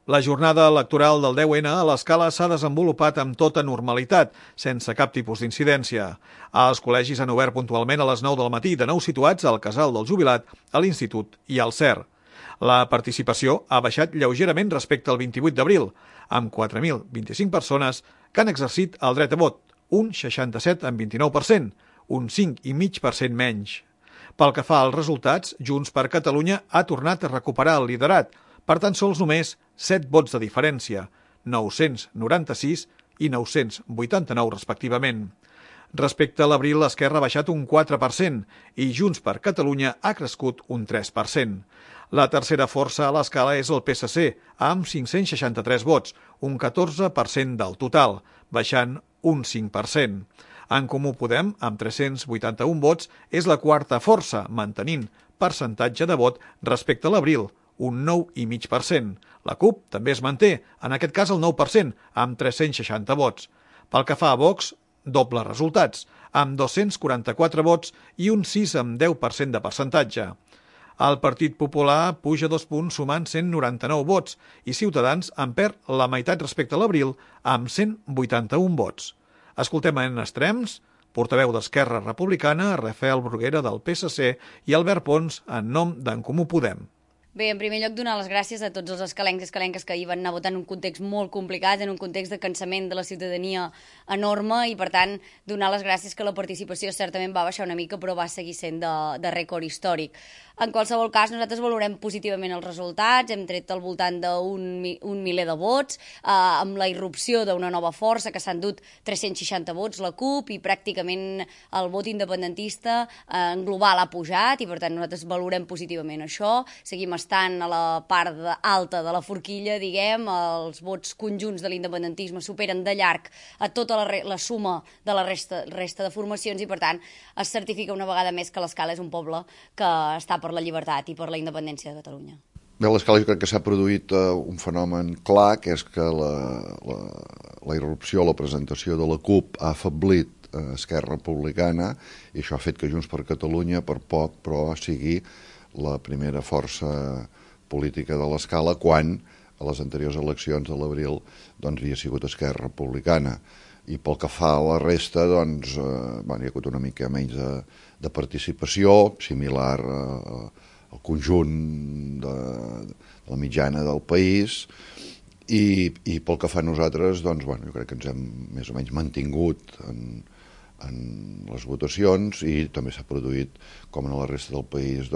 La jornada electoral del 10N a l'Escala s'ha desenvolupat amb tota normalitat, sense cap tipus d'incidència. Els col·legis han obert puntualment a les 9 del matí, de nou situats al Casal del Jubilat, a l'Institut i al CER. La participació ha baixat lleugerament respecte al 28 d'abril, amb 4.025 persones que han exercit el dret a vot, un 67,29%, un 5,5% menys. Pel que fa als resultats, Junts per Catalunya ha tornat a recuperar el liderat, per tan sols només 7 vots de diferència, 996 i 989 respectivament. Respecte a l'abril, l'Esquerra ha baixat un 4% i Junts per Catalunya ha crescut un 3%. La tercera força a l'escala és el PSC, amb 563 vots, un 14% del total, baixant un 5%. En Comú Podem, amb 381 vots, és la quarta força, mantenint percentatge de vot respecte a l'abril, un 9,5%. La CUP també es manté, en aquest cas el 9%, amb 360 vots. Pel que fa a Vox, doble resultats, amb 244 vots i un 6,10% de percentatge. El Partit Popular puja 2 punts sumant 199 vots i Ciutadans en perd la meitat respecte a l'abril amb 181 vots. Escoltem en extrems, portaveu d'Esquerra Republicana, Rafael Bruguera del PSC i Albert Pons en nom d'en Comú Podem. Bé, en primer lloc, donar les gràcies a tots els escalencs i escalenques que hi van anar votant en un context molt complicat, en un context de cansament de la ciutadania enorme i, per tant, donar les gràcies que la participació certament va baixar una mica, però va seguir sent de rècord històric. En qualsevol cas, nosaltres valorem positivament els resultats, hem tret al voltant d'un miler de vots, amb la irrupció d'una nova força que s'han dut 360 vots, la CUP, i pràcticament el vot independentista en global ha pujat i, per tant, nosaltres valorem positivament això, seguim estant a la part alta de la forquilla, diguem, els vots conjunts de l'independentisme superen de llarg a tota la suma de la resta de formacions i, per tant, es certifica una vegada més que l'Escala és un poble que està per la llibertat i per la independència de Catalunya. Bé, a l'Escala jo crec que s'ha produït un fenomen clar, que és que la irrupció, la presentació de la CUP ha afeblit Esquerra Republicana i això ha fet que Junts per Catalunya, per poc, però sigui la primera força política de l'Escala quan a les anteriors eleccions de l'abril havia sigut Esquerra Republicana. I pel que fa a la resta, hi ha hagut una mica menys de participació, similar al conjunt de la mitjana del país, i pel que fa a nosaltres, jo crec que ens hem més o menys mantingut en les votacions i també s'ha produït, com en la resta del país,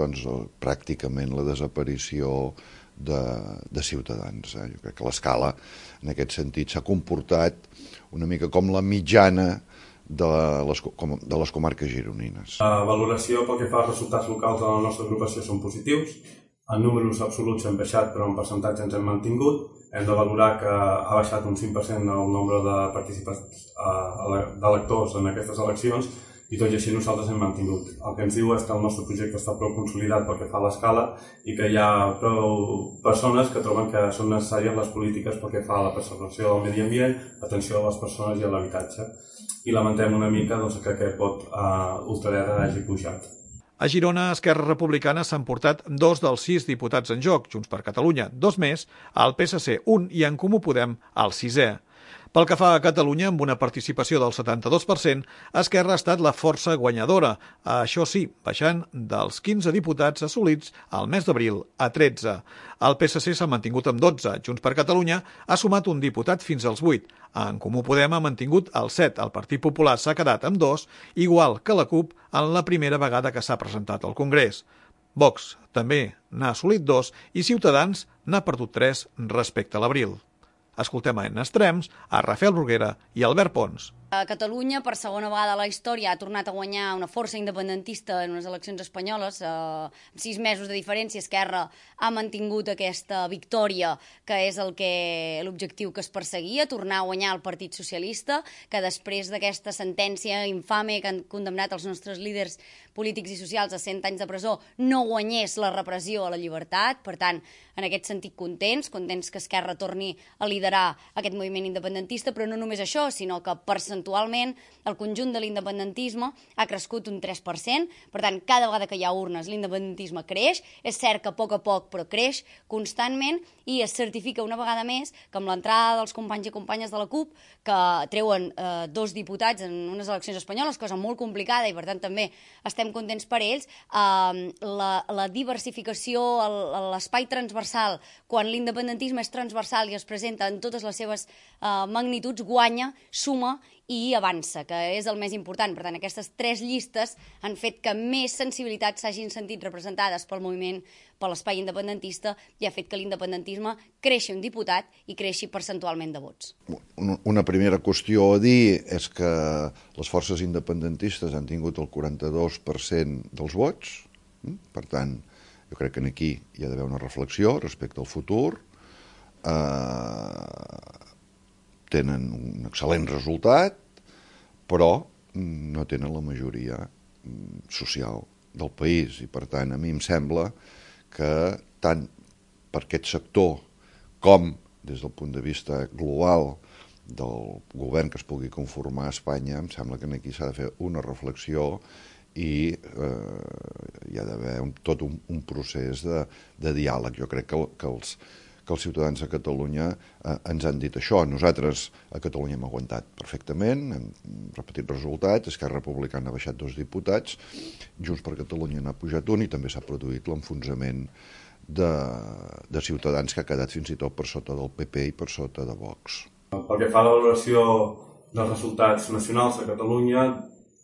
pràcticament la desaparició de Ciutadans. Jo crec que l'Escala, en aquest sentit, s'ha comportat una mica com la mitjana de les comarques gironines. La valoració pel que fa als resultats locals de la nostra agrupació són positius. En números absoluts hem baixat, però en percentatge ens hem mantingut. Hem de valorar que ha baixat un 5% el nombre de participants d'electors en aquestes eleccions i tot i així nosaltres hem mantingut. El que ens diu és que el nostre projecte està prou consolidat pel que fa a l'Escala i que hi ha prou persones que troben que són necessàries les polítiques pel que fa a la preservació del medi ambient, atenció a les persones i a l'habitatge. I lamentem una mica que aquest vot ultradreta hagi pujat. A Girona, Esquerra Republicana s'han portat 2 dels 6 diputats en joc, Junts per Catalunya 2 més, el PSC 1 i en Comú Podem el 6è. Pel que fa a Catalunya, amb una participació del 72%, Esquerra ha estat la força guanyadora, això sí, baixant dels 15 diputats assolits al mes d'abril a 13. El PSC s'ha mantingut amb 12, Junts per Catalunya ha sumat un diputat fins als 8, en Comú Podem ha mantingut el 7, el Partit Popular s'ha quedat amb 2, igual que la CUP en la primera vegada que s'ha presentat al Congrés. Vox també n'ha assolit 2 i Ciutadans n'ha perdut 3 respecte a l'abril. Escoltem en extrems a Rafael Bruguera i Albert Pons. Catalunya, per segona vegada a la història, ha tornat a guanyar una força independentista en unes eleccions espanyoles. Amb 6 mesos de diferència, Esquerra ha mantingut aquesta victòria, que és l'objectiu que es perseguia, tornar a guanyar el Partit Socialista, que després d'aquesta sentència infame que han condemnat els nostres líders polítics i socials a 100 anys de presó no guanyés la repressió a la llibertat. Per tant, en aquest sentit, contents que Esquerra torni a liderar aquest moviment independentista, però no només això, sinó que percentualment el conjunt de l'independentisme ha crescut un 3%. Per tant, cada vegada que hi ha urnes, l'independentisme creix. És cert que a poc, però creix constantment, i es certifica una vegada més que amb l'entrada dels companys i companyes de la CUP, que treuen 2 diputats en unes eleccions espanyoles, cosa molt complicada, i per tant també estem contents per ells, la diversificació, l'espai transversal, quan l'independentisme és transversal i es presenta en totes les seves magnituds, guanya, suma i avança, que és el més important. Per tant, aquestes 3 llistes han fet que més sensibilitats s'hagin sentit representades pel moviment, per l'espai independentista, i ha fet que l'independentisme creixi un diputat i creixi percentualment de vots. Una primera qüestió a dir és que les forces independentistes han tingut el 42% dels vots. Per tant, jo crec que aquí hi ha d'haver una reflexió respecte al futur. Tenen un excel·lent resultat, però no tenen la majoria social del país, i per tant a mi em sembla que tant per aquest sector com des del punt de vista global del govern que es pugui conformar a Espanya, em sembla que aquí s'ha de fer una reflexió i hi ha d'haver tot un procés de diàleg. Jo crec que els ciutadans de Catalunya ens han dit això. Nosaltres a Catalunya hem aguantat perfectament, hem repetit resultats, Esquerra Republicana ha baixat 2 diputats, Junts per Catalunya n'ha pujat 1, i també s'ha produït l'enfonsament de Ciutadans, que ha quedat fins i tot per sota del PP i per sota de Vox. Pel que fa a la valoració dels resultats nacionals a Catalunya,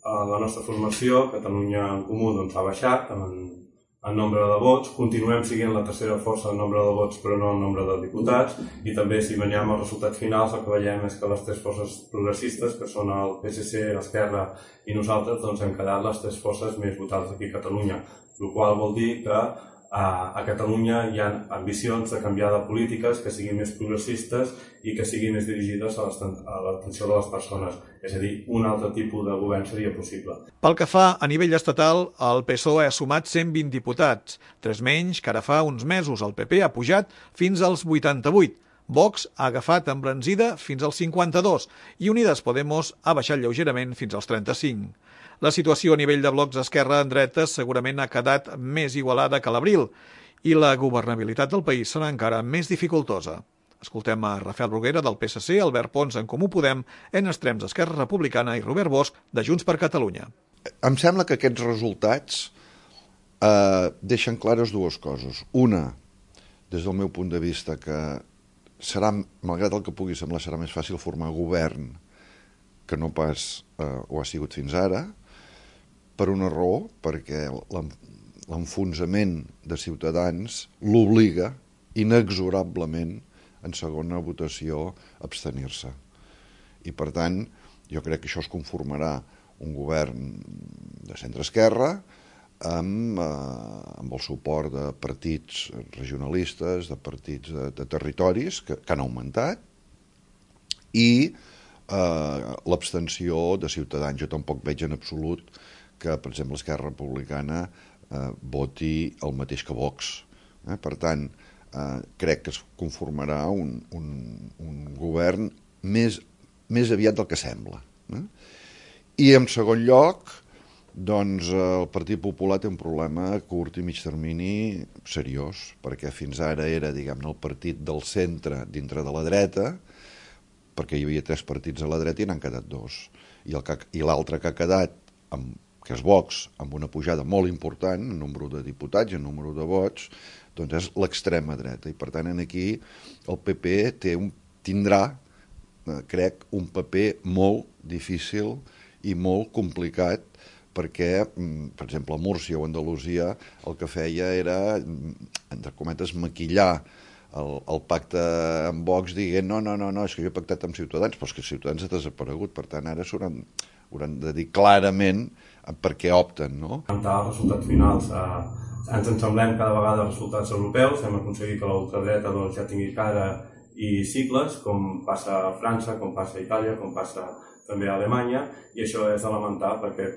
la nostra formació, Catalunya en Comú, ha baixat en nombre de vots. Continuem sent la tercera força en nombre de vots, però no en nombre de diputats, i també si veiem els resultats finals el que veiem és que les 3 forces progressistes, que són el PSC, l'Esquerra i nosaltres, hem quedat les 3 forces més votades aquí a Catalunya, el qual vol dir que a Catalunya hi ha ambicions de canviar de polítiques que siguin més progressistes i que siguin més dirigides a l'atenció de les persones. És a dir, un altre tipus de govern seria possible. Pel que fa a nivell estatal, el PSOE ha sumat 120 diputats, 3 menys que ara fa uns mesos. El PP ha pujat fins als 88. Vox ha agafat embranzida fins als 52 i Unidas Podemos ha baixat lleugerament fins als 35. La situació a nivell de blocs d'esquerra en dretes segurament ha quedat més igualada que a l'abril i la governabilitat del país serà encara més dificultosa. Escoltem a Rafael Bruguera del PSC, Albert Pons en Comú Podem, en extrems d'Esquerra Republicana i Robert Bosch de Junts per Catalunya. Em sembla que aquests resultats deixen clares 2 coses. Una, des del meu punt de vista, que serà, malgrat el que pugui semblar, serà més fàcil formar govern que no pas ho ha sigut fins ara, per una raó, perquè l'enfonsament de Ciutadans l'obliga inexorablement en segona votació a abstenir-se. I per tant, jo crec que això es conformarà un govern de centre-esquerra amb el suport de partits regionalistes, de partits de territoris que han augmentat, i l'abstenció de Ciutadans. Jo tampoc veig en absolut que, per exemple, Esquerra Republicana voti el mateix que Vox. Per tant, crec que es conformarà un govern més aviat del que sembla. I, en segon lloc, doncs el Partit Popular té un problema a curt i mig termini seriós, perquè fins ara era, diguem-ne, el partit del centre dintre de la dreta, perquè hi havia 3 partits a la dreta i n'han quedat 2. I l'altre que ha quedat, que és Vox, amb una pujada molt important en nombre de diputats i en nombre de vots, doncs és l'extrema dreta. I per tant, aquí el PP tindrà, crec, un paper molt difícil i molt complicat, perquè, per exemple, a Múrcia o a Andalusia el que feia era, entre cometes, maquillar el pacte amb Vox dient no, és que jo he pactat amb Ciutadans, però és que Ciutadans ha desaparegut, per tant ara hauran de dir clarament per què opten, no? Els resultats finals ens ensemblem cada vegada als resultats europeus, hem aconseguit que la ultradreta ja tingui cara i sigles, com passa a França, com passa a Itàlia, com passa també a Alemanya, i això és de lamentar perquè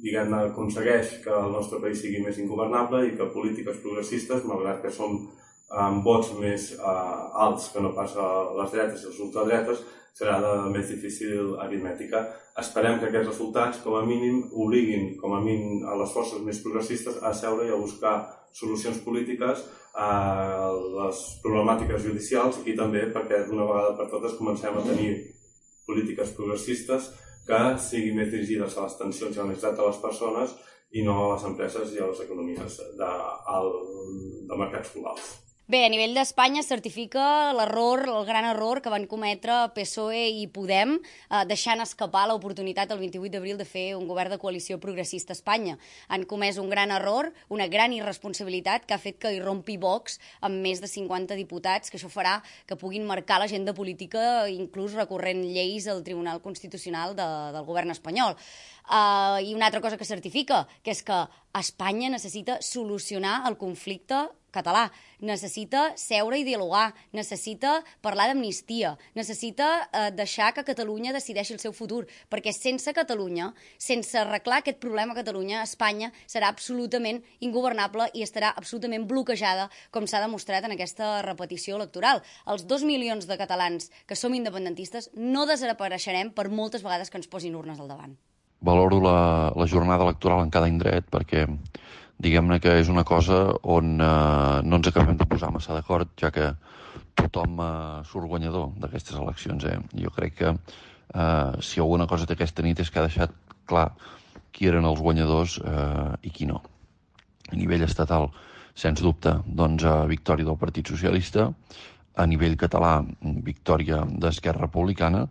diguem-ne, aconsegueix que el nostre país sigui més ingovernable i que polítiques progressistes, malgrat que som amb vots més alts que no pas a les dretes i els ultradretes, serà de més difícil aritmètica. Esperem que aquests resultats, com a mínim, obliguin com a mínim a les forces més progressistes a seure i a buscar solucions polítiques a les problemàtiques judicials i també perquè d'una vegada per totes comencem a tenir polítiques progressistes que siguin més dirigides a les tensions i a la necessitat de les persones i no a les empreses i a les economies de mercats globals. Bé, a nivell d'Espanya es certifica l'error, el gran error que van cometre PSOE i Podem, deixant escapar l'oportunitat el 28 d'abril de fer un govern de coalició progressista a Espanya. Han comès un gran error, una gran irresponsabilitat que ha fet que hi rompi Vox amb més de 50 diputats, que això farà que puguin marcar l'agenda política, inclús recorrent lleis al Tribunal Constitucional del govern espanyol. I una altra cosa que certifica, que és que Espanya necessita solucionar el conflicte català, necessita seure i dialogar, necessita parlar d'amnistia, necessita deixar que Catalunya decideixi el seu futur, perquè sense Catalunya, sense arreglar aquest problema a Catalunya, Espanya serà absolutament ingovernable i estarà absolutament bloquejada, com s'ha demostrat en aquesta repetició electoral. Els 2 milions de catalans que som independentistes no desapareixerem per moltes vegades que ens posin urnes al davant. Valoro la jornada electoral en cada indret perquè diguem-ne que és una cosa on no ens acabem de posar massa d'acord, ja que tothom surt guanyador d'aquestes eleccions. Jo crec que si alguna cosa té aquesta nit és que ha deixat clar qui eren els guanyadors i qui no. A nivell estatal, sens dubte, doncs, victòria del Partit Socialista, a nivell català, victòria d'Esquerra Republicana,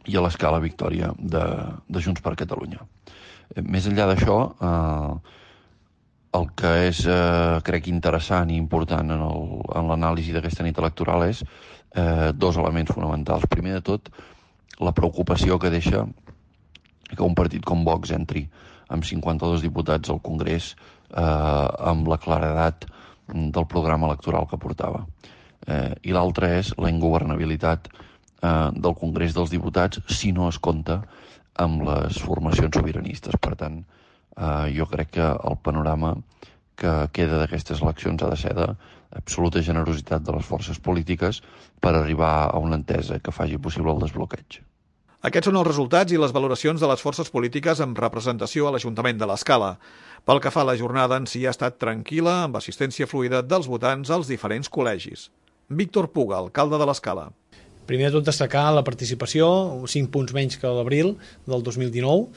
i a l'escala victòria de Junts per Catalunya. Més enllà d'això, el que és, crec, interessant i important en l'anàlisi d'aquesta nit electoral és dos elements fonamentals. Primer de tot, la preocupació que deixa que un partit com Vox entri amb 52 diputats al Congrés amb la claredat del programa electoral que portava. I l'altre és la ingovernabilitat del Congrés dels Diputats si no es compta amb les formacions sobiranistes. Per tant, jo crec que el panorama que queda d'aquestes eleccions ha de ser d'absoluta generositat de les forces polítiques per arribar a una entesa que faci possible el desbloqueig. Aquests són els resultats i les valoracions de les forces polítiques amb representació a l'Ajuntament de l'Escala. Pel que fa a la jornada en si ha estat tranquil·la, amb assistència fluida dels votants als diferents col·legis. Víctor Puga, alcalde de l'Escala. Primer de tot destacar la participació, 5 punts menys que l'abril del 2019.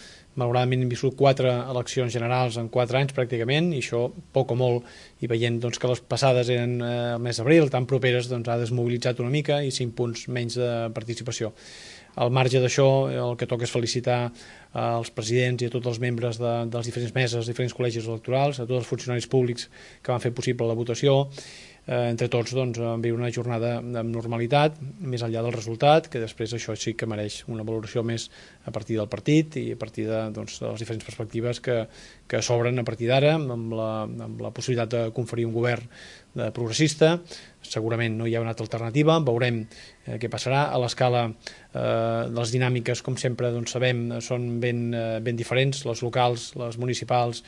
Malauradament hem viscut 4 eleccions generals en 4 anys pràcticament, i això, poc o molt, i veient doncs, que les passades eren el mes d'abril, tan properes, doncs, ha desmobilitzat una mica i 5 punts menys de participació. Al marge d'això, el que toca és felicitar als presidents i a tots els membres de les diferents meses, dels diferents col·legis electorals, a tots els funcionaris públics que van fer possible la votació. Entre tots doncs, vam viure una jornada amb normalitat, més enllà del resultat, que després això sí que mereix una valoració més a partir del partit i a partir de les diferents perspectives que s'obren a partir d'ara, amb la possibilitat de conferir un govern progressista. Segurament no hi ha una altra alternativa, veurem què passarà. A l'escala, les dinàmiques, com sempre sabem, són ben diferents, les locals, les municipals,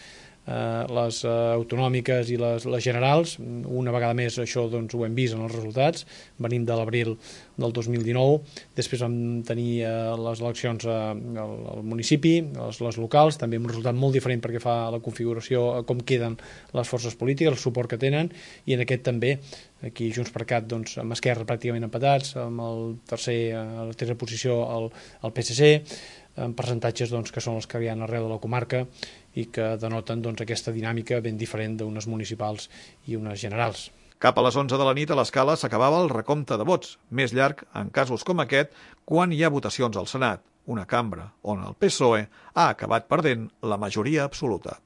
les autonòmiques i les generals. Una vegada més això ho hem vist en els resultats. Venim de l'abril del 2019, després vam tenir les eleccions al municipi, les locals, també amb un resultat molt diferent perquè fa la configuració, com queden les forces polítiques, el suport que tenen, i en aquest també aquí Junts per Cat amb Esquerra pràcticament empatats, amb a la tercera posició el PSC, amb percentatges que són els que hi ha arreu de la comarca i que denoten aquesta dinàmica ben diferent d'unes municipals i unes generals. Cap a les 11 de la nit a l'Escala s'acabava el recompte de vots, més llarg en casos com aquest quan hi ha votacions al Senat, una cambra on el PSOE ha acabat perdent la majoria absoluta.